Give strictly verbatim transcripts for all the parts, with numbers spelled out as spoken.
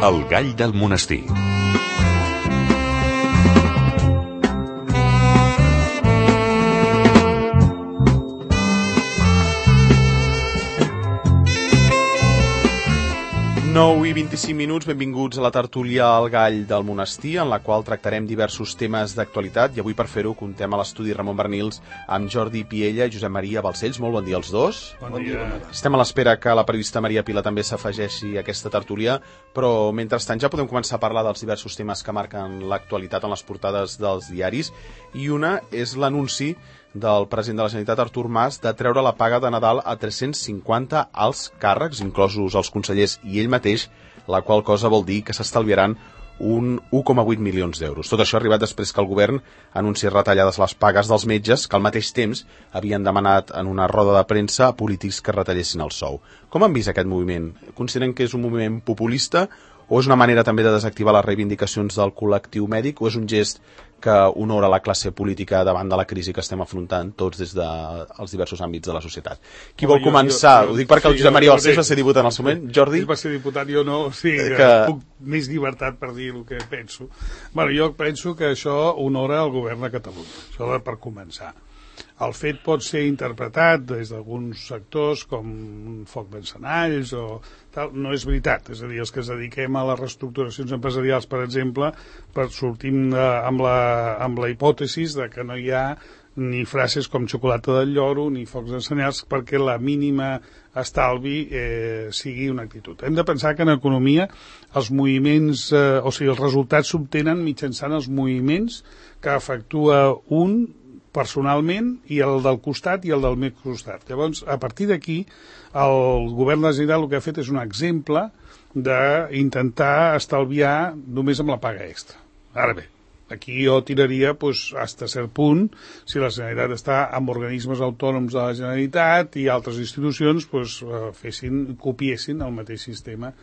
El gall del monestir. nou i vint-i-cinc minuts, benvinguts a la tertúlia al Gall del Monestir, en la qual tractarem diversos temes d'actualitat, i avui per fer-ho contem a l'estudi Ramon Bernils amb Jordi Piella i Josep Maria Balcells. Molt bon dia als dos. Bon dia. Estem a l'espera que la periodista Maria Pila també s'afegeixi a aquesta tertúlia, però mentrestant ja podem començar a parlar dels diversos temes que marquen l'actualitat en les portades dels diaris, i una és l'anunci del president de la Generalitat, Artur Mas, de treure la paga de Nadal a tres-cents cinquanta alts càrrecs, inclosos els consellers i ell mateix, la qual cosa vol dir que s'estalviaran un un coma vuit milions d'euros. Tot això ha arribat després que el govern anunciés retallades les pagues dels metges, que al mateix temps havien demanat en una roda de premsa a polítics que retallessin el sou. Com han vist aquest moviment? Consideren que és un moviment populista o és una manera també de desactivar les reivindicacions del col·lectiu mèdic, o és un gest que honora la classe política davant de la crisi que estem afrontant tots des dels diversos àmbits de la societat? Qui vol començar? Ho dic perquè el Josep Maria Balcells va ser diputat en el seu moment. Jordi? Ell va ser diputat, jo no, o sigui, que... puc més llibertat per dir el que penso. Bueno, jo penso que això honora el govern de Catalunya, això per començar. El fet pot ser interpretat des d'alguns sectors com un foc d'encenalls o tal. No és veritat. És a dir, els que es dediquem a les reestructuracions empresarials, per exemple, per sortim de, amb, la, amb la hipòtesis de que no hi ha ni frases com xocolata del lloro ni focs d'encenalls perquè la mínima estalvi eh, sigui una actitud. Hem de pensar que en economia els moviments, eh, o sigui, els resultats s'obtenen mitjançant els moviments que efectua un personalment, i el del costat i el del més costat. Llavors, a partir d'aquí, el govern de la Generalitat el que ha fet és un exemple d'intentar estalviar només amb la paga extra. Ara bé, aquí jo tiraria, doncs, fins a cert punt, si la Generalitat està amb organismes autònoms de la Generalitat i altres institucions, doncs, fessin, copiessin el mateix sistema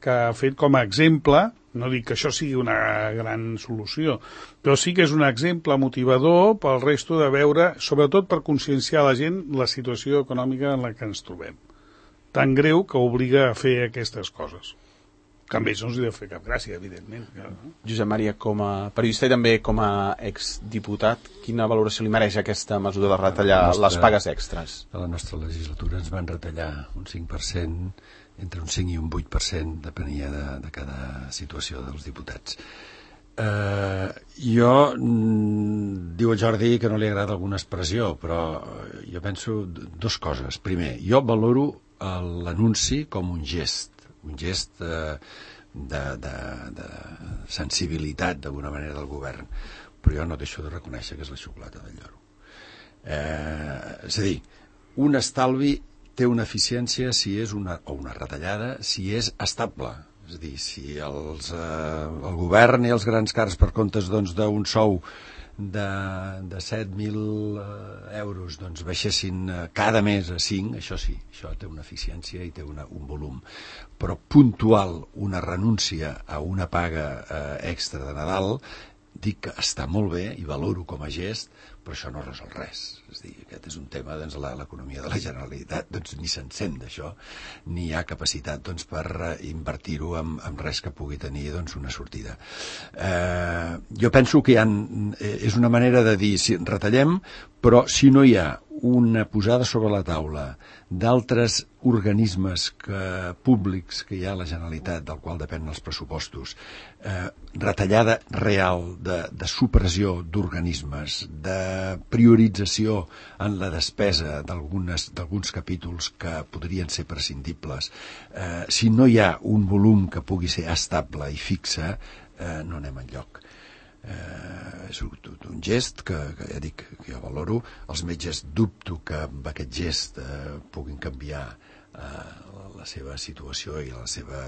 que ha fet com a exemple. No dic que això sigui una gran solució, però sí que és un exemple motivador pel resto de veure, sobretot per conscienciar la gent, la situació econòmica en la que ens trobem. Tan greu que obliga a fer aquestes coses. Que a ells no els hi deu fer cap gràcia, evidentment. Josep Maria, com a periodista i també com a exdiputat, quina valoració li mereix aquesta mesura de retallar nostra, les pagues extres? A la nostra legislatura ens van retallar un cinc per cent, entre un cinc i un vuit per cent, depenia de, de cada situació dels diputats. Eh, jo, mm, diu el Jordi que no li agrada alguna expressió, però jo penso dues coses. Primer, jo valoro l'anunci com un gest, un gest eh, de, de, de sensibilitat d'alguna manera del govern, però jo no deixo de reconèixer que és la xocolata del lloro. Eh, és a dir, un estalvi té una eficiència si és una, o una retallada si és estable. És a dir, si els, eh, el govern i els grans càrrecs per comptes doncs, d'un sou de, de set mil euros doncs, baixessin cada mes a cinc, això sí, això té una eficiència i té una, un volum. Però puntual, una renúncia a una paga eh, extra de Nadal, dic que està molt bé i valoro com a gest, però això no resol res. És a dir, aquest és un tema, doncs, l'economia de la Generalitat, doncs, ni se'n sent d'això, ni hi ha capacitat doncs, per invertir-ho en, en res que pugui tenir doncs, una sortida. Eh, jo penso que hi ha, és una manera de dir, si retallem, però si no hi ha una posada sobre la taula d'altres organismes que, públics que hi ha a la Generalitat, del qual depenen els pressupostos, eh, retallada real de, de supressió d'organismes, de priorització en la despesa d'alguns capítols que podrien ser prescindibles, eh, si no hi ha un volum que pugui ser estable i fixe, eh, no anem enlloc. Eh, és un, un gest que, que ja dic que jo valoro. Els metges dubto que amb aquest gest eh, puguin canviar eh, la seva situació i la seva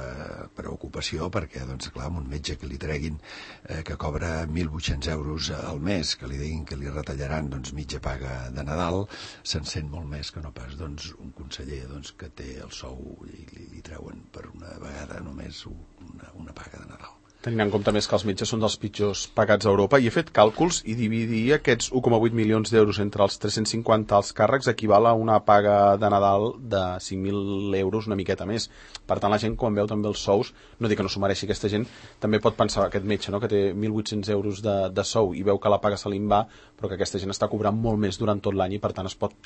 preocupació, perquè doncs clar, amb un metge que li treguin eh, que cobra mil vuit-cents euros al mes, que li diguin que li retallaran doncs, mitja paga de Nadal, se'n sent molt més que no pas doncs, un conseller doncs, que té el sou i li, li treuen per una vegada només una, una paga de Nadal. Tenint en compte més que els metges són dels pitjors pagats a Europa, i he fet càlculs i dividir aquests u coma vuit milions d'euros entre els tres-cents cinquanta alts càrrecs equival a una paga de Nadal de cinc mil euros, una miqueta més. Per tant, la gent, quan veu també els sous, no dic que no s'ho mereixi aquesta gent, també pot pensar, aquest metge, no?, que té mil vuit-cents euros de, de sou i veu que la paga se li en va, però que aquesta gent està cobrant molt més durant tot l'any i, per tant, es pot,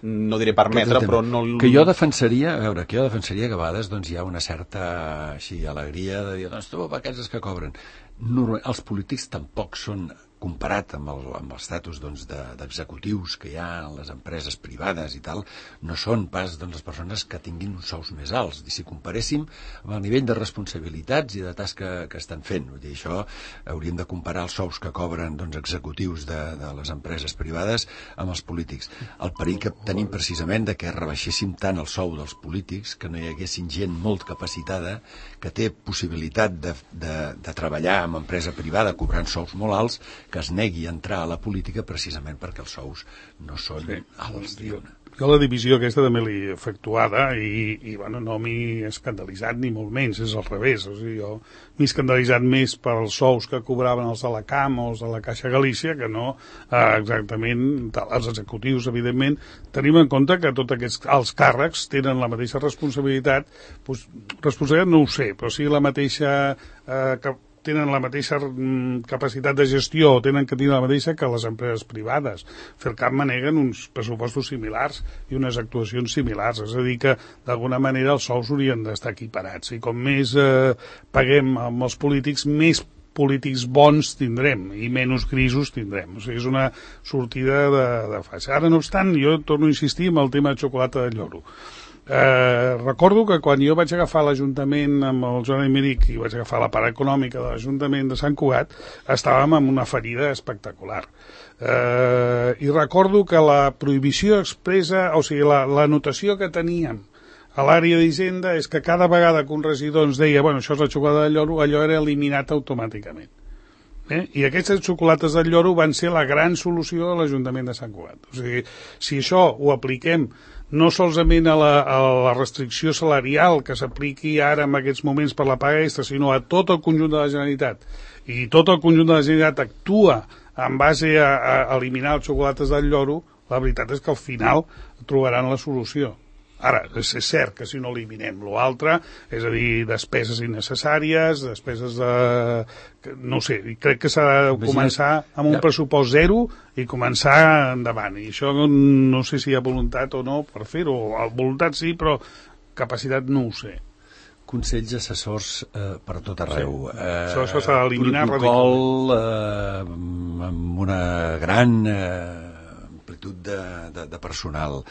no diré permetre, però no... Que jo defensaria, a veure, que jo defensaria que a vegades doncs, hi ha una certa així, alegria de dir, doncs tu, aquests que cobren. Normal, els polítics tampoc són, comparat amb el, amb l'estatus doncs, de, d'executius que hi ha en les empreses privades i tal, no són pas doncs, les persones que tinguin uns sous més alts. I si comparéssim amb el nivell de responsabilitats i de tasca que estan fent, vull dir, això hauríem de comparar els sous que cobren doncs, executius de, de les empreses privades amb els polítics. El perill que tenim precisament de que rebaixéssim tant el sou dels polítics, que no hi haguessin gent molt capacitada, que té possibilitat de, de, de treballar en empresa privada cobrant sous molt alts, que es negui a entrar a la política precisament perquè els sous no són sí. alts. Jo, jo la divisió aquesta també l'he efectuada i, i bueno, no m'he escandalitzat ni molt menys, és al revés. O sigui, jo m'he escandalitzat més pels sous que cobraven els de la C A M o els de la Caixa Galícia que no eh, exactament els executius, evidentment. Tenim en compte que tots aquests alts càrrecs tenen la mateixa responsabilitat, doncs, responsabilitat no ho sé, però sí la mateixa eh, que tenen la mateixa capacitat de gestió, tenen que tenir la mateixa que les empreses privades. Fercap maneguen uns pressupostos similars i unes actuacions similars, és a dir que d'alguna manera els sous haurien d'estar equiparats i com més eh, paguem amb els polítics, més polítics bons tindrem i menys grisos tindrem. O sigui, és una sortida de, de faixa. Ara, no obstant, jo torno a insistir en el tema de xocolata de lloro. Eh, recordo que quan jo vaig agafar l'Ajuntament amb el Joan Aymeric i vaig agafar la part econòmica de l'Ajuntament de Sant Cugat, estàvem amb una ferida espectacular. Eh, I recordo que la prohibició expressa, o sigui, la, la notació que teníem a l'àrea d'Hisenda és que cada vegada que un regidor ens deia bueno, això és la xocolata de lloro, allò era eliminat automàticament. Eh? I aquestes xocolates del lloro van ser la gran solució de l'Ajuntament de Sant Cugat. O sigui, si això ho apliquem no solament a la, a la restricció salarial que s'apliqui ara en aquests moments per la paga extra, sinó a tot el conjunt de la Generalitat, i tot el conjunt de la Generalitat actua en base a, a eliminar les xocolates del lloro, la veritat és que al final trobaran la solució. Ara, és cert que si no eliminem l'altre, és a dir, despeses innecessàries, despeses de... no ho sé, crec que s'ha de començar amb un pressupost zero i començar endavant. I això no sé si hi ha voluntat o no per fer-ho. Voluntat sí, però capacitat no ho sé. Consells assessors eh, per tot arreu. Sí. Eh, això s'ha d'eliminar radicalment. Protocol eh, amb una gran... Eh, amplitud de, de, de personal,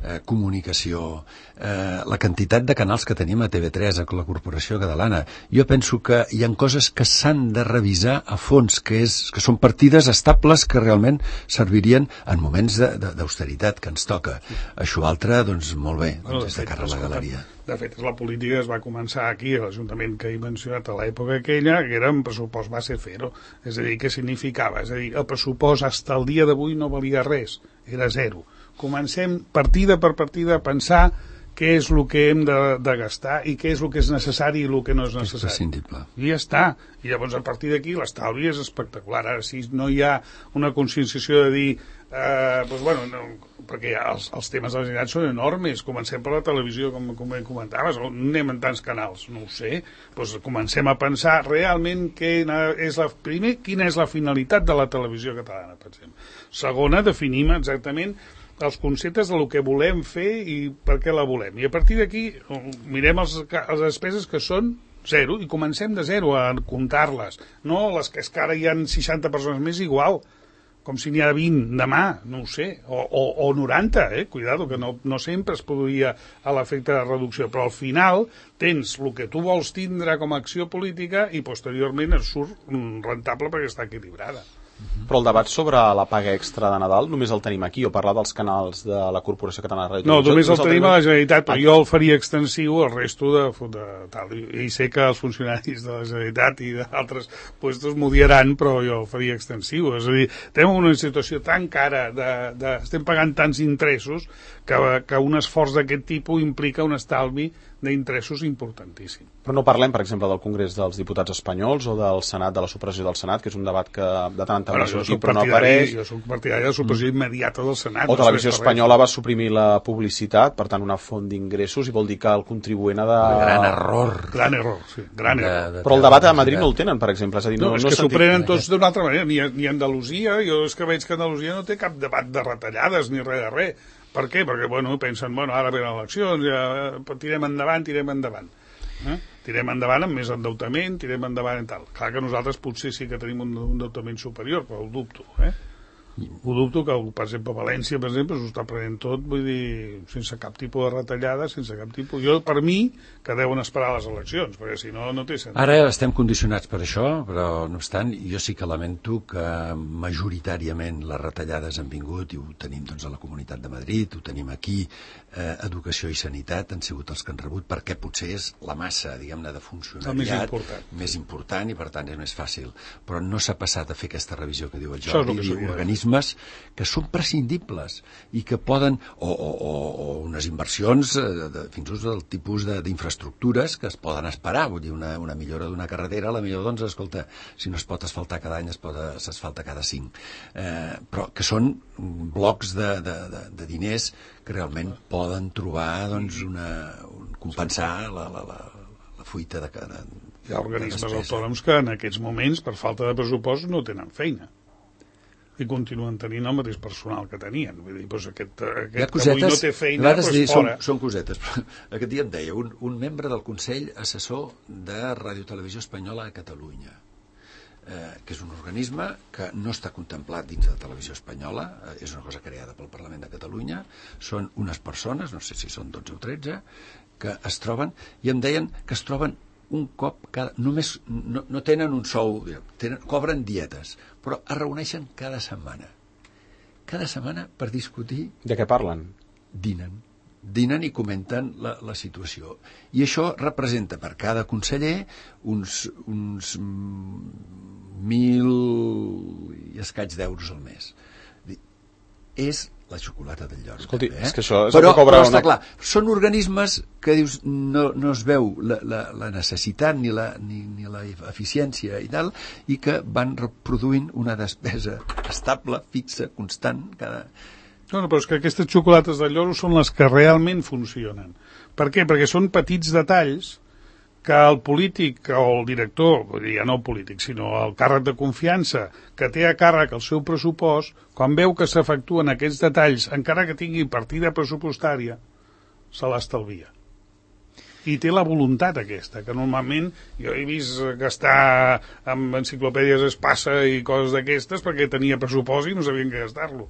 eh, comunicació, eh, la quantitat de canals que tenim a T V tres, a la Corporació Catalana. Jo penso que hi ha coses que s'han de revisar a fons, que, és, que són partides estables que realment servirien en moments d'austeritat que ens toca. Això altre, doncs, molt bé, bueno, doncs, és de cara a la galeria. De fet, la política es va començar aquí, a l'Ajuntament que he mencionat a l'època aquella, que era un pressupost base zero. És a dir, què significava? És a dir, el pressupost fins al dia d'avui no valia res, era zero. Comencem partida per partida a pensar què és el que hem de, de gastar i què és el que és necessari i el que no és necessari. És prescindible. I ja està. I llavors, a partir d'aquí, l'estalvi és espectacular. Ara, si no hi ha una conscienciació de dir eh, doncs, bueno, no, perquè els, els temes de la Generalitat són enormes. Comencem per la televisió, com, com comentaves, o anem en tants canals, no ho sé. Doncs comencem a pensar realment quina és la, primer, quina és la finalitat de la televisió catalana, per exemple. Segona, definim exactament els conceptes del que volem fer i per què la volem. I a partir d'aquí mirem els, les despeses que són zero i comencem de zero a comptar-les. No les que és que ara hi ha seixanta persones més igual, com si n'hi ha vint demà, no ho sé, o, o, o noranta, eh? Cuidado, que no, no sempre es produïa a l'efecte de reducció, però al final tens el que tu vols tindre com a acció política i posteriorment et surt rentable perquè està equilibrada. Però el debat sobre la paga extra de Nadal només el tenim aquí, o parlar dels canals de la Corporació Catalana de Ràdio. No, només el tenim a la Generalitat, però jo el faria extensiu al resto de, de tal. I sé que els funcionaris de la Generalitat i d'altres puestos m'ho diran, però jo el faria extensiu. És a dir, tenim una situació tan cara, de, de, estem pagant tants interessos, que, que un esforç d'aquest tipus implica un estalvi d'interessos importantíssim. Però no parlem, per exemple, del Congrés dels Diputats Espanyols o del Senat, de la supressió del Senat, que és un debat que de tant en tant bueno, sortit, però no apareix. Jo soc partidari de la supressió immediata del Senat. O Televisió Espanyola va suprimir la publicitat, per tant, una font d'ingressos, i vol dir que el contribuent ha de... Gran error. Gran error, sí. Gran de, error. de però el debat a Madrid no el tenen, per exemple. És a dir, no, no, és no que s'ho sentit... prenen tots d'una altra manera. Ni, ni Andalusia, jo és que veig que Andalusia no té cap debat de retallades ni res de res. Per què? Perquè, bueno, pensen, bueno, ara venen eleccions, ja tirem endavant, tirem endavant. Eh? Tirem endavant amb més endeutament, tirem endavant i tal. Clar que nosaltres potser sí que tenim un, un endeutament superior, però ho dubto, eh? Ho dubto que, per exemple, València, per exemple, s'ho està prenent tot, vull dir, sense cap tipus de retallada, sense cap tipus... Jo, per mi, que deuen esperar les eleccions, perquè si no, no té sentit. Ara estem condicionats per això, però, no obstant, jo sí que lamento que majoritàriament les retallades han vingut, i ho tenim doncs, a la Comunitat de Madrid, ho tenim aquí, eh, educació i sanitat han sigut els que han rebut, perquè potser és la massa, diguem-ne, de funcionariat més important. més important i, per tant, és més fàcil. Però no s'ha passat a fer aquesta revisió que diu el Això és Jordi, el que organismes que són prescindibles i que poden, o, o, o, o unes inversions de, de, fins i tot del tipus d'infraestructures que es poden esperar, vull dir, una, una millora d'una carretera, la millor, doncs, escolta, si no es pot asfaltar cada any, es pot s'asfalta cada cinc. Eh, però que són blocs de, de, de, de diners que realment poden trobar, doncs, una, un, compensar la, la, la, la fuita de cada... Hi ha organismes autònoms que en aquests moments, per falta de pressupost, no tenen feina. I continuen tenint el mateix personal que tenien. Vull dir, doncs aquest, aquest que avui no té feina, doncs dir, fora. Són, són cosetes. Aquest dia em deia un, un membre del Consell Assessor de Ràdio Televisió Espanyola a Catalunya, eh, que és un organisme que no està contemplat dins de Televisió Espanyola, eh, és una cosa creada pel Parlament de Catalunya, són unes persones, no sé si són dotze o tretze, que es troben, i em deien que es troben un cop cada... Només no, no tenen un sou, tenen, cobren dietes, però es reuneixen cada setmana. Cada setmana per discutir... De què parlen? Dinen. Dinen i comenten la, la situació. I això representa per cada conseller uns, uns mil i escaig d'euros al mes. És la xocolata del lloro. Escolti, també, eh? és que això és però, el que cobra però està una... clar, són organismes que dius no, no es veu la, la, la necessitat ni la, ni, ni la eficiència i tal, i que van reproduint una despesa estable, fixa, constant cada... No, no, però és que aquestes xocolates del lloro són les que realment funcionen. Per què? Perquè són petits detalls que el polític o el director, ja no el polític, sinó el càrrec de confiança que té a càrrec el seu pressupost, quan veu que s'efectuen aquests detalls, encara que tingui partida pressupostària, se l'estalvia. I té la voluntat aquesta, que normalment jo he vist gastar amb enciclopèdies Espasa i coses d'aquestes perquè tenia pressupost i no sabien què gastar-lo.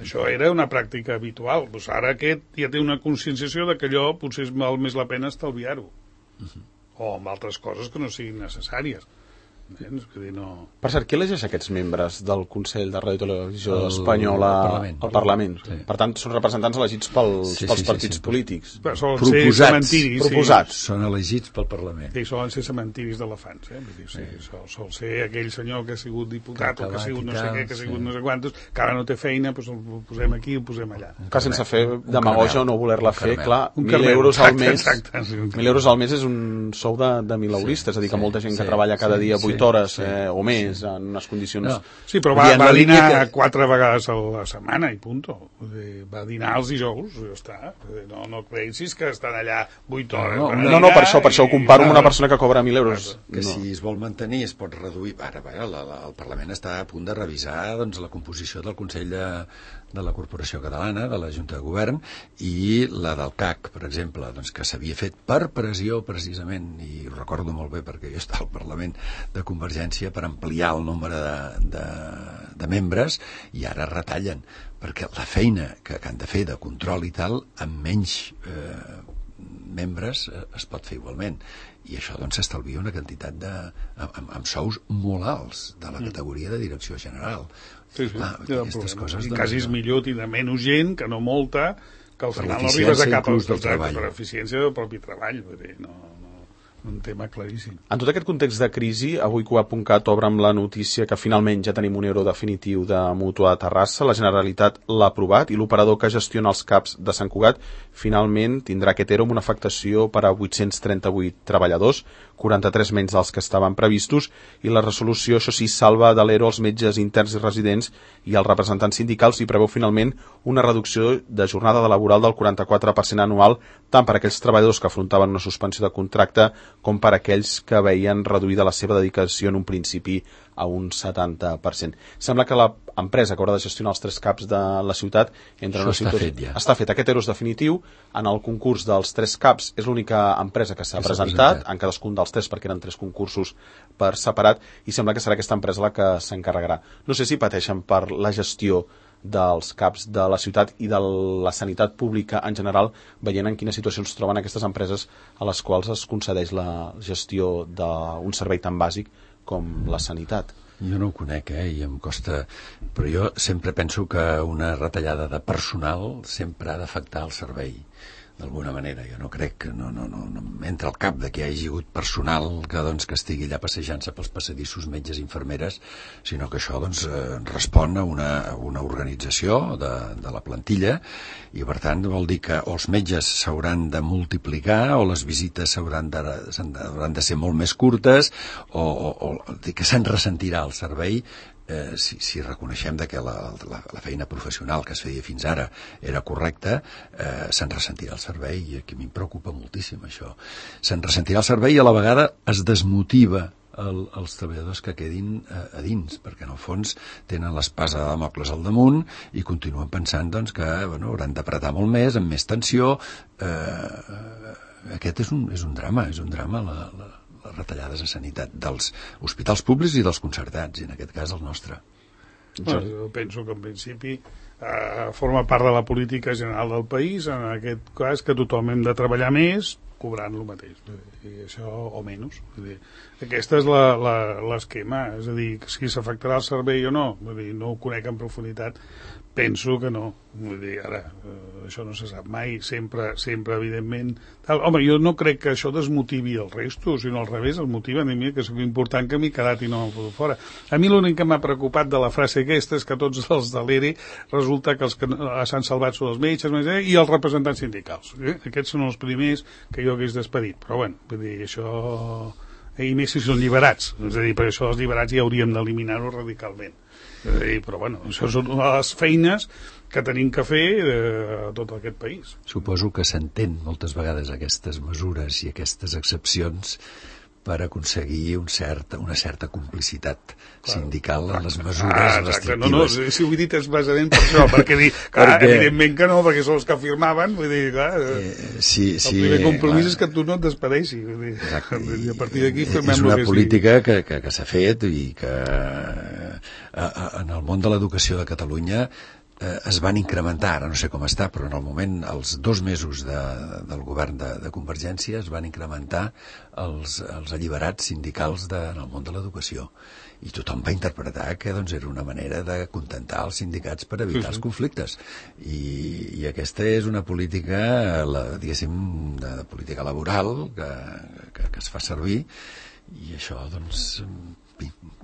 Això era una pràctica habitual. Pues ara aquest ja té una conscienciació de que allò potser val més la pena estalviar-ho. Uh-huh. O amb altres coses que no siguin necessàries. Entens? Que dir, no... Per cert, qui elegeix aquests membres del Consell de Ràdio i Televisió el, Espanyola al Parlament? Al Parlament. Sí. Per tant, són representants elegits pels, sí, pels sí, partits sí, sí. polítics. Però solen Proposats. ser cementiris. Proposats. Són elegits pel Parlament. Sí, solen ser cementiris d'elefants. Eh? Vull dir, sí, sí. Sol, sol ser aquell senyor que ha sigut diputat o que ha sigut no sé què, que ha sigut sí. no sé quantos, que ara no té feina, doncs el posem aquí i el posem allà. Que sense fer demagogia o no voler-la fer, clar, un mil euros al mes, exacte, sí, mil euros al mes és un sou de, de mileuristes, és a dir, que molta gent que treballa cada dia vuit hores eh, o més en unes condicions... No. Sí, però va, va dinar que... quatre vegades a la setmana i punto. Va dinar els dijous, ja està. No, no creguis que estan allà vuit hores. No, no, no, per això, per això ho comparo amb una persona que cobra mil euros. Que no. si es vol mantenir es pot reduir... Ara, ara la, la, el Parlament està a punt de revisar doncs, la composició del Consell de, de la Corporació Catalana, de la Junta de Govern, i la del C A C, per exemple, doncs, que s'havia fet per pressió, precisament, i ho recordo molt bé perquè jo estava al Parlament de Convergència, per ampliar el nombre de, de, de membres, i ara retallen, perquè la feina que, que han de fer de control i tal, amb menys eh, membres eh, es pot fer igualment, i això doncs s'estalvia una quantitat de amb, amb sous molt alts de la categoria de direcció general. Sí, sí, ah, ja aquestes coses, i doncs, quasi és millor tindre menys gent que no molta, que al per final no arribes a cap del treball. per eficiència del propi treball, vull dir, no, no, un tema claríssim. En tot aquest context de crisi, avui Cuap.cat obre amb la notícia que finalment ja tenim un euro definitiu de Mútua a Terrassa, la Generalitat l'ha aprovat i l'operador que gestiona els CAPs de Sant Cugat finalment tindrà aquest euro amb una afectació per a vuit-cents trenta-vuit treballadors, quaranta-tres menys dels que estaven previstos, i la resolució, això sí, salva de l'ero els metges interns i residents i els representants sindicals i preveu finalment una reducció de jornada laboral del quaranta-quatre per cent anual, tant per a aquells treballadors que afrontaven una suspensió de contracte com per a aquells que veien reduïda la seva dedicació en un principi a un setanta per cent. Sembla que l'empresa que haurà de gestionar els tres CAPs de la ciutat entra en una està situació... fet ja. Està fet. Aquest euro és definitiu. En el concurs dels tres CAPs és l'única empresa que s'ha Que s'ha presentat, presentat, en cadascun dels tres, perquè eren tres concursos per separat, i sembla que serà aquesta empresa la que s'encarregarà. No sé si pateixen per la gestió dels CAPs de la ciutat i de la sanitat pública en general, veient en quines situacions es troben aquestes empreses a les quals es concedeix la gestió d'un servei tan bàsic com la sanitat. Jo no ho conec, eh, i em costa... Però jo sempre penso que una retallada de personal sempre ha d'afectar el servei, d'alguna manera. Jo no crec que no, no, no, no entra al cap de que hi hagi hagut personal que, doncs, que estigui allà passejant-se pels passadissos, metges, infermeres, sinó que això doncs, eh, respon a una, una organització de, de la plantilla, i per tant vol dir que o els metges s'hauran de multiplicar o les visites s'hauran de, hauran de ser molt més curtes, o, o, o dir que se'n ressentirà el servei. Eh, si, si reconeixem de que la, la, la feina professional que es feia fins ara era correcta, eh, se'n ressentirà el servei, i aquí m'hi preocupa moltíssim això. Se'n ressentirà el servei i a la vegada es desmotiva el, els treballadors que quedin eh, a dins, perquè en el fons tenen l'espasa de Dàmocles al damunt i continuen pensant doncs, que bueno, hauran d'apretar molt més, amb més tensió. Eh, aquest és un, és un drama, és un drama la, la les retallades a sanitat dels hospitals públics i dels concertats, i en aquest cas el nostre. Bueno, jo penso que en principi eh, forma part de la política general del país, en aquest cas que tothom hem de treballar més cobrant el mateix, i això o menys. Vull dir, aquesta és l'esquema, és a dir, si s'afectarà el servei o no, vull dir, no ho conec en profunditat, penso que no. Vull dir, ara, eh, això no se sap mai, sempre, sempre evidentment... Tal. Home, jo no crec que això desmotivi el resto, sinó al revés, el motiva a mi, que és important que m'he quedat i no m'he fotut fora. A mi l'únic que m'ha preocupat de la frase aquesta és que tots els de l'E R E resulta que els que s'han salvat són els metges i els representants sindicals. Eh? Aquests són els primers que jo hagués despedit. Però, bueno, vull dir, això... I més si són lliberats. És a dir, per això els lliberats ja hauríem d'eliminar-ho radicalment. Dir, però bueno, això són les feines que tenim que fer a tot aquest país. Suposo que s'entén moltes vegades aquestes mesures i aquestes excepcions per aconseguir un cert, una certa complicitat claro, sindical en les mesures ah, restrictives. No, no, si ho he dit és basament per això, perquè, dir, clar, perquè evidentment que no, perquè són els que firmaven, vull dir, clar, eh, sí, el sí, primer compromís clar. És que tu no et despedeixi, vull dir, exacte, i a partir d'aquí firmem és una que política que, que, que s'ha fet i que a, a, en el món de l'educació de Catalunya eh, es van incrementar, ara no sé com està, però en el moment, els dos mesos de, del govern de, de Convergència es van incrementar els, els alliberats sindicals de, en el món de l'educació, i tothom va interpretar que doncs, era una manera de contentar els sindicats per evitar els conflictes, i, i aquesta és una política, la, diguéssim, de, de política laboral que, que, que es fa servir, i això doncs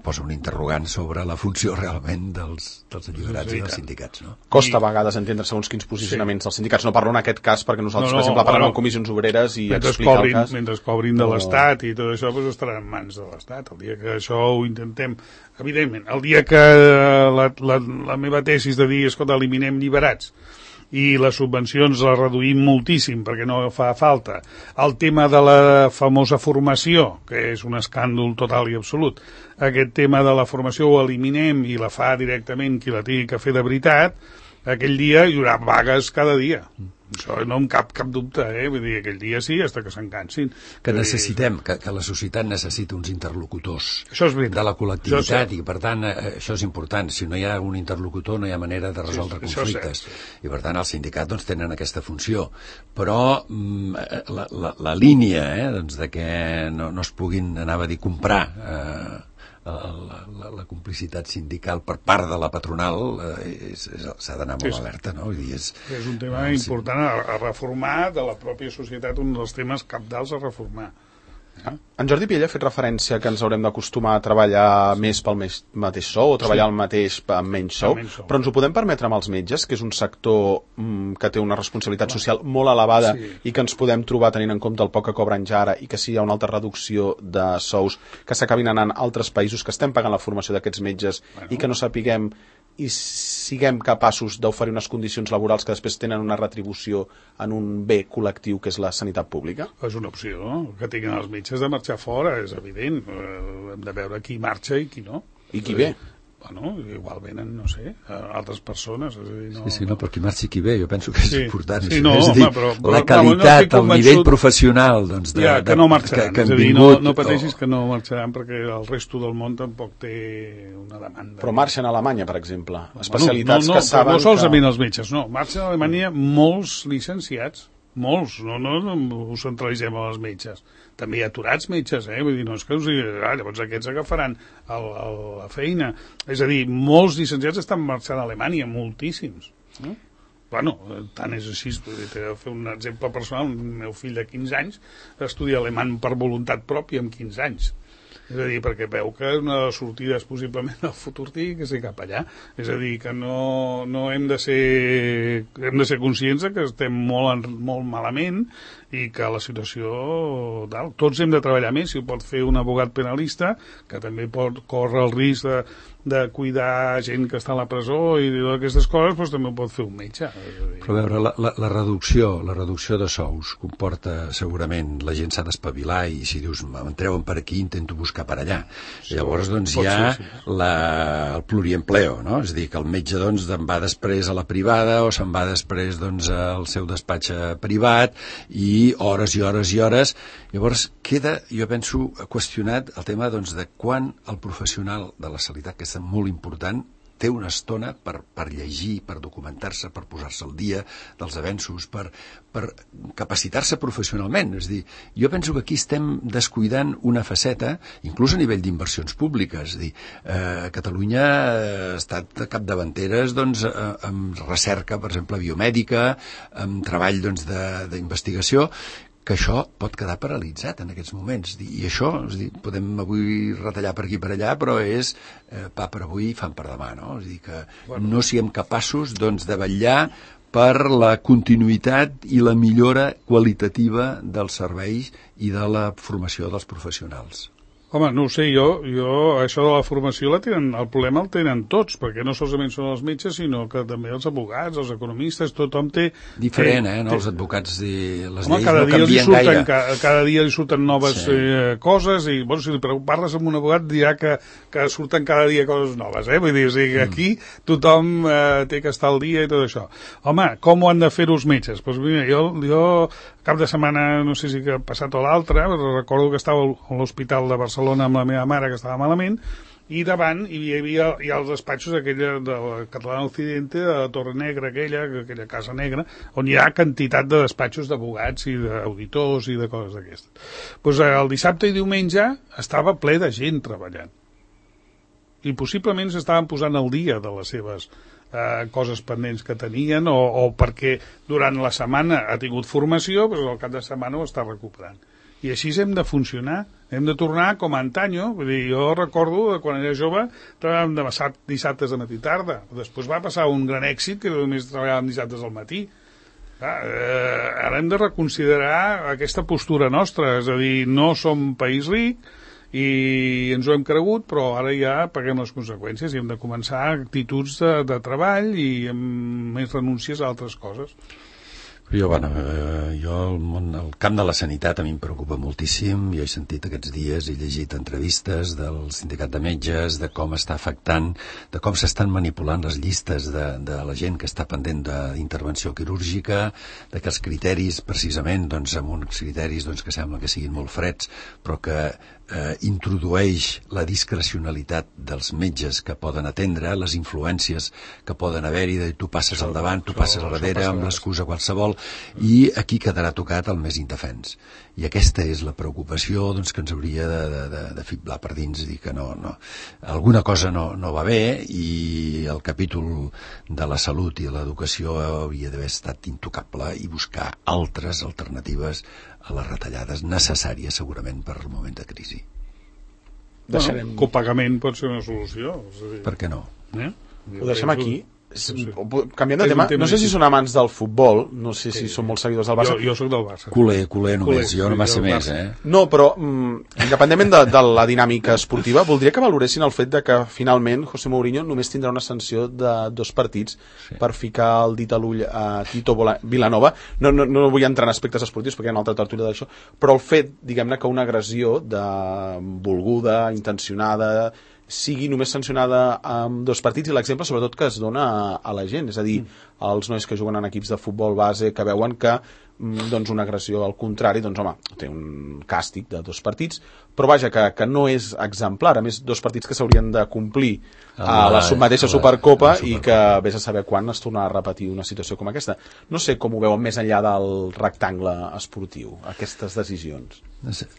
posa un interrogant sobre la funció realment dels, dels alliberats i dels sindicats, no? Costa a vegades entendre segons quins posicionaments sí. dels sindicats. No parlo en aquest cas perquè nosaltres, no, no, per exemple, parlem amb comissions obreres i explicar cobrin, el cas. Mentre cobrin de l'Estat i tot això, doncs estarà en mans de l'Estat. El dia que això ho intentem... Evidentment, el dia que la, la, la meva tesi és de dir, escolta, eliminem lliberats i les subvencions les reduïm moltíssim perquè no fa falta. El tema de la famosa formació, que és un escàndol total i absolut, aquest tema de la formació ho eliminem i la fa directament qui la tingui que fer de veritat, aquell dia hi haurà vagues cada dia. Això no em cap cap dubte, eh? Vull dir, aquell dia sí, fins que se'n cansin. Que necessitem, que, que la societat necessita uns interlocutors això és veritat. de la col·lectivitat, i per tant eh, això és important. Si no hi ha un interlocutor no hi ha manera de resoldre sí, conflictes. I per tant els sindicats doncs, tenen aquesta funció. Però mm, la, la, la línia eh, doncs, de que no, no es puguin, anava a dir, comprar eh, La, la, la complicitat sindical per part de la patronal eh, s'ha d'anar molt sí, alerta, no? Vull dir, és, és un tema eh, important a, a reformar de la pròpia societat, un dels temes cabdals a reformar. Eh? En Jordi Piella ha fet referència que ens haurem d'acostumar a treballar més pel més, mateix sou o treballar sí. el mateix amb menys sou, menys sou, però ens ho podem permetre amb els metges, que és un sector mm, que té una responsabilitat Clar. social molt elevada sí. i que ens podem trobar tenint en compte el poc que cobren ja ara i que si hi ha una altra reducció de sous que s'acabin anant a altres països que estem pagant la formació d'aquests metges bueno. i que no sapiguem i siguem capaços d'oferir unes condicions laborals que després tenen una retribució en un bé col·lectiu que és la sanitat pública? És una opció, no? Que tinguin els metges de marxar fora, és evident. Eh, hem de veure qui marxa i qui no. I qui ve? Bueno, igual venen, no sé, altres persones. És a dir, no... Sí, sí, no, però qui marxi qui ve, jo penso que és sí, important. Sí, no, és a dir, home, però, però, la qualitat, no, el nivell professional, doncs... De, ja, que no marxaran, que, que és a dir, vingut, no, no pateixis o... que no marxaran perquè el resto del món tampoc té una demanda. Però marxen a Alemanya, per exemple, especialitats no, no, que saben no solament que... els metges, no, marxen a Alemanya molts llicenciats, molts, no, no, no ho centralitzem als metges. També hi ha aturats metges, eh? Vull dir, no és que us digui, ah, llavors aquests agafaran el, el, la feina. És a dir, molts llicenciats estan marxant a Alemanya, moltíssims. Eh? Bueno, tant és així, t'he de fer un exemple personal, el meu fill de quinze anys estudia alemany per voluntat pròpia amb quinze anys. És a dir, perquè veu que una de les sortides possiblement al futur tingui que ser cap allà. És a dir, que no, no hem de ser hem de ser conscients que estem molt, molt malament i que la situació tal, tots hem de treballar més. Si ho pot fer un abogat penalista, que també pot córrer el risc de, de cuidar gent que està a la presó i d'aquestes coses, doncs també ho pot fer un metge. Però a veure, la, la, la reducció la reducció de sous comporta segurament, la gent s'ha d'espavilar i si dius, em treuen per aquí, intento buscar per allà. Sí, llavors doncs hi ha ser, sí. la, el pluriempleo, no? És a dir, que el metge doncs en va després a la privada o se'n va després doncs al seu despatx privat i hores i hores i hores. Llavors queda, jo penso, qüestionat el tema doncs, de quan el professional de la sanitat, que és molt important, té una estona per, per llegir, per documentar-se, per posar-se al dia dels avenços, per, per capacitar-se professionalment. És a dir, jo penso que aquí estem descuidant una faceta, inclús a nivell d'inversions públiques. És a dir, eh, Catalunya ha estat capdavanteres doncs, eh, amb recerca, per exemple, biomèdica, amb treball doncs, de, d'investigació, que això pot quedar paralitzat en aquests moments. I això, és dir, podem avui retallar per aquí i per allà, però és eh, pa per avui i fam per demà, no? És a dir, que bueno. no siguem capaços doncs, de vetllar per la continuïtat i la millora qualitativa dels serveis i de la formació dels professionals. Home, no ho sé, jo, jo això de la formació la tenen, el problema el tenen tots, perquè no solament són els metges, sinó que també els advocats, els economistes, tothom té... Diferent, té, eh? No? Té... Els advocats i les Home, lleis cada no dia canvien surten, gaire. Cada, cada dia li surten noves sí. eh, coses i, bueno, si parles amb un abogat dirà que, que surten cada dia coses noves, eh? Vull dir, o sigui, que aquí tothom eh, té que estar al dia i tot això. Home, com ho han de fer els metges? Doncs mira, jo, jo cap de setmana, no sé si que ha passat o l'altre, recordo que estava a l'Hospital de Barcelona amb la meva mare que estava malament, i davant hi havia hi ha els despatxos aquella de la Catalana Occidente, de la Torre Negra aquella, aquella casa negra, on hi ha quantitat de despatxos d'abogats i d'auditors i de coses d'aquestes. Doncs el dissabte i diumenge estava ple de gent treballant. I possiblement s'estaven posant al dia de les seves eh, coses pendents que tenien o, o perquè durant la setmana ha tingut formació, però al cap de setmana ho està recuperant. I així hem de funcionar, hem de tornar com a antanyo. Vull dir, jo recordo que quan era jove treballàvem de dissabtes de matí i tarda. Després va passar un gran èxit que només treballàvem dissabtes al matí. Clar, eh, ara hem de reconsiderar aquesta postura nostra, és a dir, no som país ric i ens ho hem cregut, però ara ja paguem les conseqüències i hem de començar actituds de, de treball i amb més renúncies a altres coses. Jo, bueno, eh, jo el, món, el camp de la sanitat a mi em preocupa moltíssim. Jo he sentit aquests dies, he llegit entrevistes del sindicat de metges, de com està afectant, de com s'estan manipulant les llistes de, de la gent que està pendent d'intervenció quirúrgica, de que els criteris, precisament, doncs, amb uns criteris doncs, que sembla que siguin molt freds, però que eh, introdueix la discrecionalitat dels metges que poden atendre, les influències que poden haver-hi, de tu passes al davant, tu passes al darrere, amb l'excusa qualsevol, i aquí quedarà tocat el més indefens. I aquesta és la preocupació doncs, que ens hauria de, de, de, de fiblar per dins, dir que no, no, alguna cosa no, no va bé, i el capítol de la salut i l'educació hauria d'haver estat intocable i buscar altres alternatives a les retallades necessàries segurament per al moment de crisi. Deixarem... Bueno, copagament pot ser una solució. És a dir... Per què no? Eh? Ho deixem aquí. Sí. Canviant de tema, tema, no sé si són amants del futbol, no sé si sí, són molt seguidors del Barça. Jo, jo soc del Barça. Culer, culer només, culer, jo no massa més, eh? No, però, mm, independentment de, de la dinàmica esportiva, voldria que valoressin el fet de que, finalment, José Mourinho només tindrà una sanció de dos partits sí. per ficar el dit a l'ull a Tito Vilanova. No, no, no vull entrar en aspectes esportius, perquè hi ha una altra tertúlia d'això, però el fet, diguem-ne, que una agressió de volguda, intencionada, sigui només sancionada amb dos partits, i l'exemple sobretot que es dona a, a la gent, és a dir, als nois que juguen en equips de futbol base, que veuen que doncs, una agressió al contrari, doncs home, té un càstig de dos partits, però vaja, que, que no és exemplar, a més dos partits que s'haurien de complir a la mateixa Supercopa i que vés a saber quan es tornarà a repetir una situació com aquesta. No sé com ho veuen més enllà del rectangle esportiu, aquestes decisions. No sé.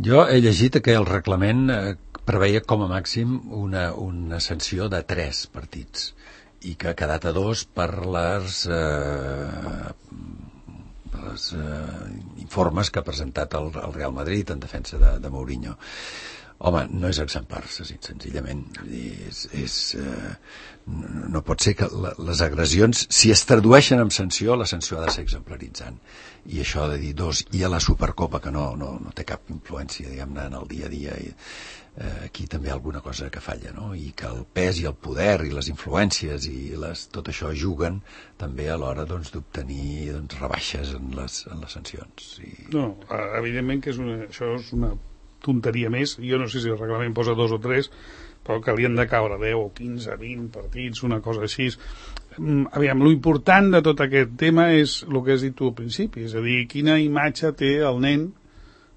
Jo he llegit que el reglament eh, preveia com a màxim una, una sanció de tres partits i que ha quedat a dos per les, eh, les eh, informes que ha presentat el, el Real Madrid en defensa de, de Mourinho. Home, no és exemplar, senzillament. És, és, eh, no pot ser que la, les agressions, si es tradueixen en sanció, la sanció ha de ser exemplaritzant. I això de dir dos, i a la Supercopa, que no, no, no té cap influència, diguem-ne, en el dia a dia, i, eh, aquí també hi ha alguna cosa que falla, no? I que el pes i el poder i les influències i les, tot això juguen també a l'hora doncs, d'obtenir doncs, rebaixes en les, en les sancions. I... No, evidentment que és una, això és una tonteria més. Jo no sé si el reglament posa dos o tres, però que li han de caure deu o quinze, vint partits, una cosa així. Aviam, l'important de tot aquest tema és el que has dit tu al principi, és a dir, quina imatge té el nen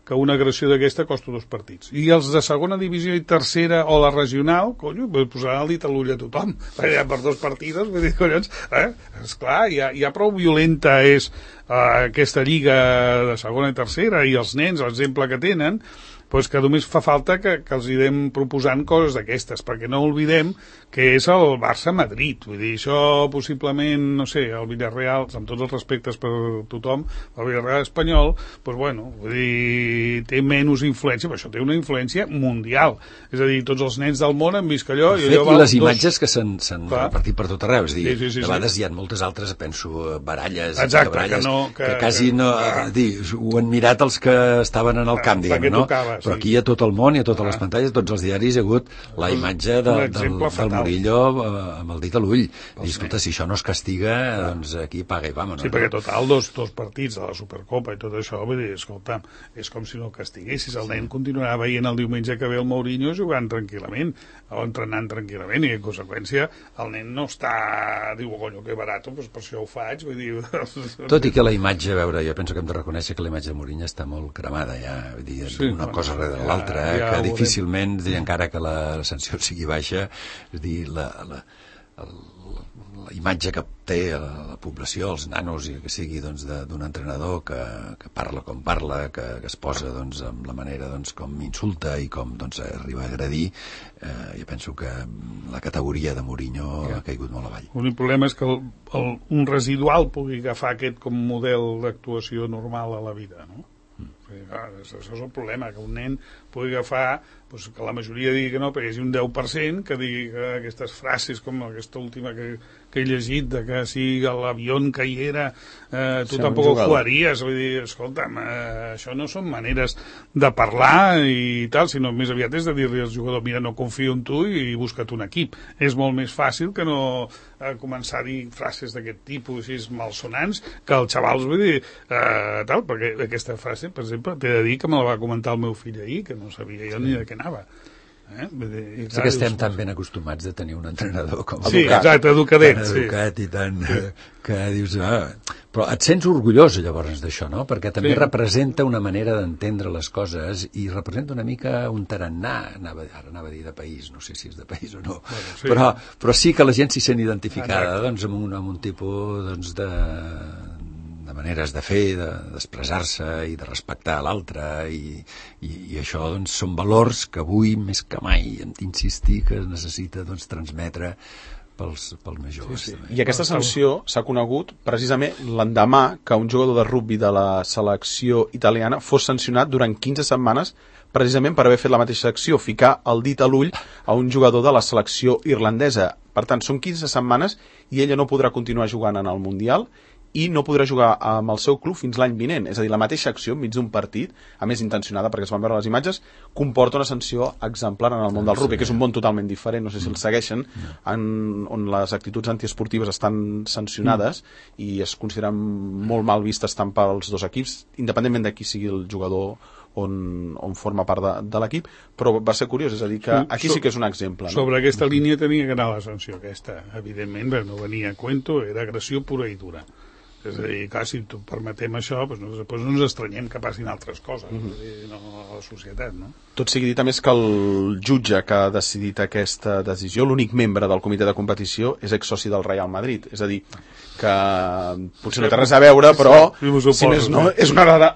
que una agressió d'aquesta costa dos partits. I els de segona divisió i tercera o la regional, conyo, posaran el dit a l'ull a tothom, perquè per dos partides, vull dir, collons, eh? Esclar, ja, ja prou violenta és eh, aquesta lliga de segona i tercera, i els nens, l'exemple que tenen, doncs que només fa falta que, que els idem proposant coses d'aquestes, perquè no oblidem que és el Barça-Madrid. Vull dir, això possiblement, no sé, el Villarreal, amb tots els respectes per tothom, el Villarreal espanyol, doncs bueno, vull dir, té menys influència, però això té una influència mundial. És a dir, tots els nens del món han vist que allò... I, allò i les dos... imatges que s'han repartit per tot arreu, és dir, sí, sí, sí, de vegades sí. Hi ha moltes altres, penso, baralles, exacte, baralles, que, no, que, que quasi que, no... que, dir, ho han mirat els que estaven en el camp, diguem, no? Tocava, però sí. Aquí a tot el món i a totes ah. les pantalles, tots els diaris, hi ha hagut la imatge de, del, del Murillo amb el dit a l'ull. I escolta, si això no es castiga, doncs aquí paga i vamos. Sí, perquè total, dos, dos partits de la Supercopa i tot això, vull dir, escolta, és com si no el castiguessis. El nen continuarà veient el diumenge que ve el Mourinho jugant tranquil·lament, o entrenant tranquil·lament, i en conseqüència el nen no està... Diu, conyo, que barato, doncs per això ho faig, vull dir... Tot i que la imatge, a veure, jo penso que hem de reconèixer que la imatge de Mourinho està molt cremada, ja, vull dir, sí, una bueno, cosa darrere de l'altra, eh, ja, que difícilment, dir, encara que la sanció sigui baixa, és dir, la, la, la, la imatge que té la, la població, els nanos, i que sigui doncs, d'un entrenador que, que parla com parla, que, que es posa doncs, amb la manera doncs, com insulta i com doncs, arriba a agredir, eh, jo penso que la categoria de Mourinho ja. ha caigut molt avall. L'únic problema és que el, el, un residual pugui agafar aquest com model d'actuació normal a la vida, no? Això és el problema, que un nen pugui agafar, doncs, que la majoria digui que no, perquè hi hagi un deu per cent que digui que aquestes frases com aquesta última que, que he llegit de que si l'avió caiguera eh, tu Sí, tampoc un ho jugador. jugaries, vull dir, escolta'm, eh, això no són maneres de parlar i tal, sinó més aviat és de dir-li al jugador, mira, no confio en tu i busca't un equip. És molt més fàcil que no eh, començar a dir frases d'aquest tipus així malsonants, que els xavals, vull dir, eh, tal, perquè aquesta frase, per exemple, t'he de dir que me la va comentar el meu fill ahir, que no sabia jo ni de què anava. Eh? Dir, és que estem tan ben acostumats de tenir un entrenador com sí, educat, exacte, educadet, tan sí. educat i tan... Eh, que dius... Ah, però et sents orgullós llavors d'això, no? Perquè també Sí. representa una manera d'entendre les coses i representa una mica un tarannà, anava, ara anava a dir de país, no sé si és de país o no, Bueno, sí. però, però sí que la gent s'hi sent identificada Exacte. doncs, amb, un, amb un tipus doncs, de, de maneres de fer, de- d'expressar-se i de respectar l'altre i, i, i això doncs, són valors que avui més que mai hem d'insistir que es necessita doncs, transmetre pels, pels més joves. Sí, sí. I aquesta sanció s'ha conegut precisament l'endemà que un jugador de rugbi de la selecció italiana fos sancionat durant quinze setmanes precisament per haver fet la mateixa acció, ficar el dit a l'ull a un jugador de la selecció irlandesa. Per tant, són quinze setmanes i ella no podrà continuar jugant en el Mundial i no podrà jugar amb el seu club fins l'any vinent. És a dir, la mateixa acció enmig d'un partit, a més intencionada perquè es van veure les imatges, comporta una sanció exemplar en el món del rugbi, que és un món totalment diferent, no sé si el segueixen, en, on les actituds antiesportives estan sancionades i es consideren molt mal vistes tant pels dos equips, independentment de qui sigui el jugador on, on forma part de, de l'equip, però va ser curiós, és a dir, que aquí sí que és un exemple. No? Sobre aquesta línia tenia que anar la sanció aquesta, evidentment, no venia a cuento, era agressió pura i dura. És a dir, clar, si permetem això, doncs no, doncs no ens estranyem que passin altres coses, mm-hmm. dir, no, a la societat, no? Tot sigui dit, a més, que el jutge que ha decidit aquesta decisió, l'únic membre del comitè de competició, és exsoci del Real Madrid. És a dir, que potser no té res a veure, però, si més no, és una dada...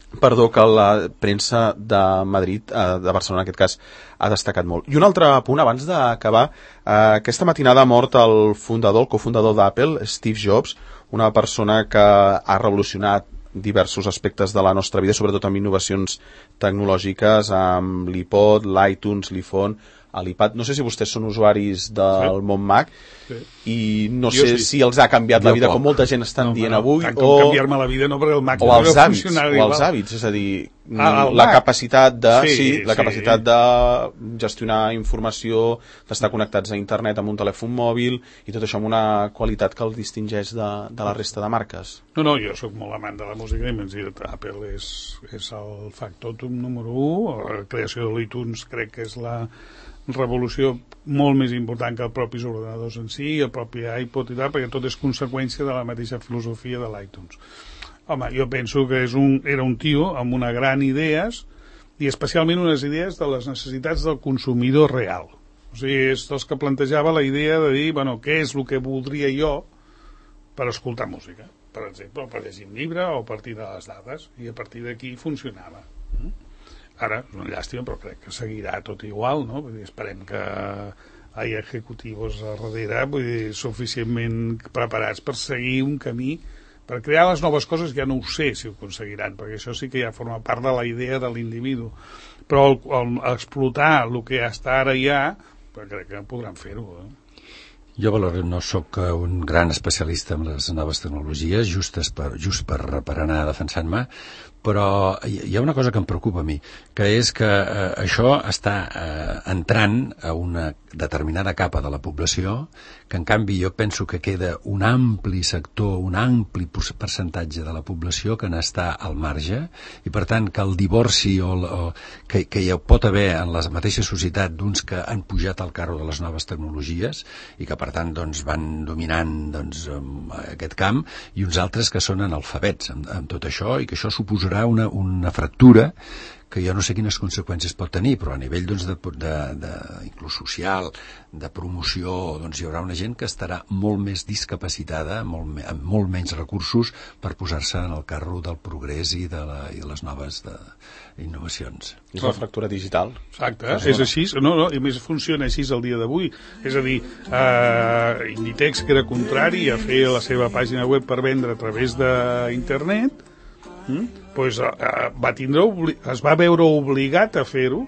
Perdó, que la premsa de Madrid, de Barcelona en aquest cas, ha destacat molt. I un altre punt, abans d'acabar, aquesta matinada ha mort el fundador, el cofundador d'Apple, Steve Jobs, una persona que ha revolucionat diversos aspectes de la nostra vida, sobretot amb innovacions tecnològiques, amb l'iPod, l'iTunes, l'iPhone, l'iPad. No sé si vostès són usuaris del sí. món Mac, sí. i no jo sé sí. si els ha canviat jo la vida, poc. Com molta gent estan no, dient no, avui, o canviar-me la vida, no, perquè el Mac o els hàbits, o els hàbits, és a dir, ah, la Mac. capacitat de, sí, sí, la sí. capacitat de gestionar informació, d'estar connectats a internet amb un telèfon mòbil, i tot això amb una qualitat que el distingeix de, de la resta de marques. No, no, jo sóc molt amant de la música i m'he dit, Apple és, és el factòtum número u, la creació de l'iTunes crec que és la revolució molt més important que els propis ordenadors en si, el propi iPod i tal, perquè tot és conseqüència de la mateixa filosofia de l'iTunes. Home, jo penso que és un, era un tio amb una gran idees, i especialment unes idees de les necessitats del consumidor real. O sigui, és dels que plantejava la idea de dir, bueno, què és el que voldria jo per escoltar música, per exemple, o per llegir un llibre o a partir de les dades, i a partir d'aquí funcionava. Ara, és una llàstima, però crec que seguirà tot igual, no? Vull dir, esperem que hi ha executius a darrere, vull dir, suficientment preparats per seguir un camí, per crear les noves coses, ja no ho sé si ho aconseguiran, perquè això sí que ja forma part de la idea de l'individu. Però el, el, explotar el que ja està ara ja, crec que podran fer-ho, eh? Jo, Valor, no sóc un gran especialista en les noves tecnologies, just per, just per, per anar defensant-me, però hi ha una cosa que em preocupa a mi, que és que eh, això està eh, entrant a una determinada capa de la població, que en canvi jo penso que queda un ampli sector, un ampli percentatge de la població que n'està al marge, i per tant que el divorci o, o, que, que hi pot haver en la mateixa societat d'uns que han pujat al carro de les noves tecnologies i que per tant doncs, van dominant doncs, aquest camp, i uns altres que són analfabets amb, amb tot això, i que això suposarà una, una fractura que jo no sé quines conseqüències pot tenir, però a nivell doncs, de, de, de, inclús social, de promoció, doncs hi haurà una gent que estarà molt més discapacitada, molt, amb molt menys recursos per posar-se en el carro del progrés i de, la, i de les noves de, innovacions. És la fractura digital. Exacte, és, és així, no, no, i més funciona així el dia d'avui. És a dir, eh, Inditex, que era contrari a fer la seva pàgina web per vendre a través d'internet, mm? pues, eh, va tindre, es va veure obligat a fer-ho,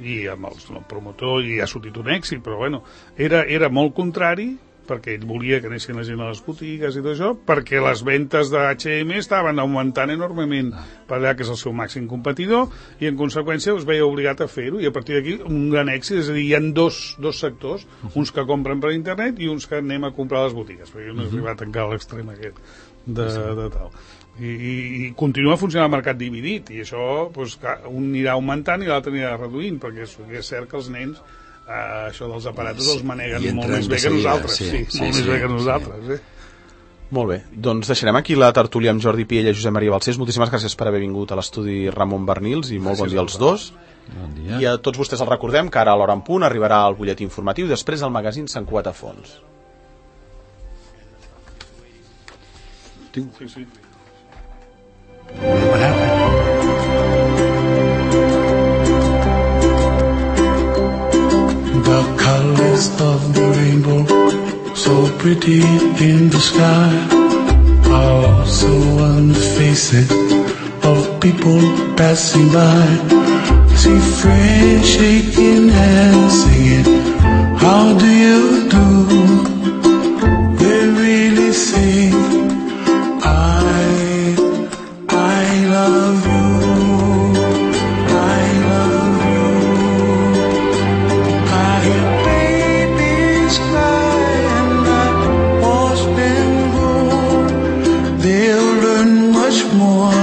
i amb els, el promotor, i ha sortit un èxit, però bueno, era, era molt contrari perquè ell volia que anessin la gent a les botigues i tot això, perquè les ventes de H and M estaven augmentant enormement per allà, que és el seu màxim competidor, i en conseqüència es veia obligat a fer-ho, i a partir d'aquí un gran èxit. És a dir, hi ha dos, dos sectors, uns que compren per internet i uns que anem a comprar a les botigues, perquè no he arribat encara a l'extrem aquest de, de tal. I, i, i continua funcionant el mercat dividit, i això doncs, un anirà augmentant i l'altre anirà reduint, perquè és, és cert que els nens Uh, això dels aparatos els maneguen molt més bé que nosaltres, sí, sí, sí, molt sí, més bé que nosaltres, sí. eh? Molt bé, doncs deixarem aquí la tertúlia amb Jordi Piella i Josep Maria Balcells. Moltíssimes gràcies per haver vingut a l'estudi Ramon Bernils i molt bon dia als dos. Bon dia. I a tots vostès els recordem que ara a l'hora en punt arribarà el butlletí informatiu i després el magazín Sant Cugat a fons. Sí, sí. The colors of the rainbow, so pretty in the sky, are also on the faces of people passing by. See friends shaking hands, singing, how do you do? They really say, I, I love you. More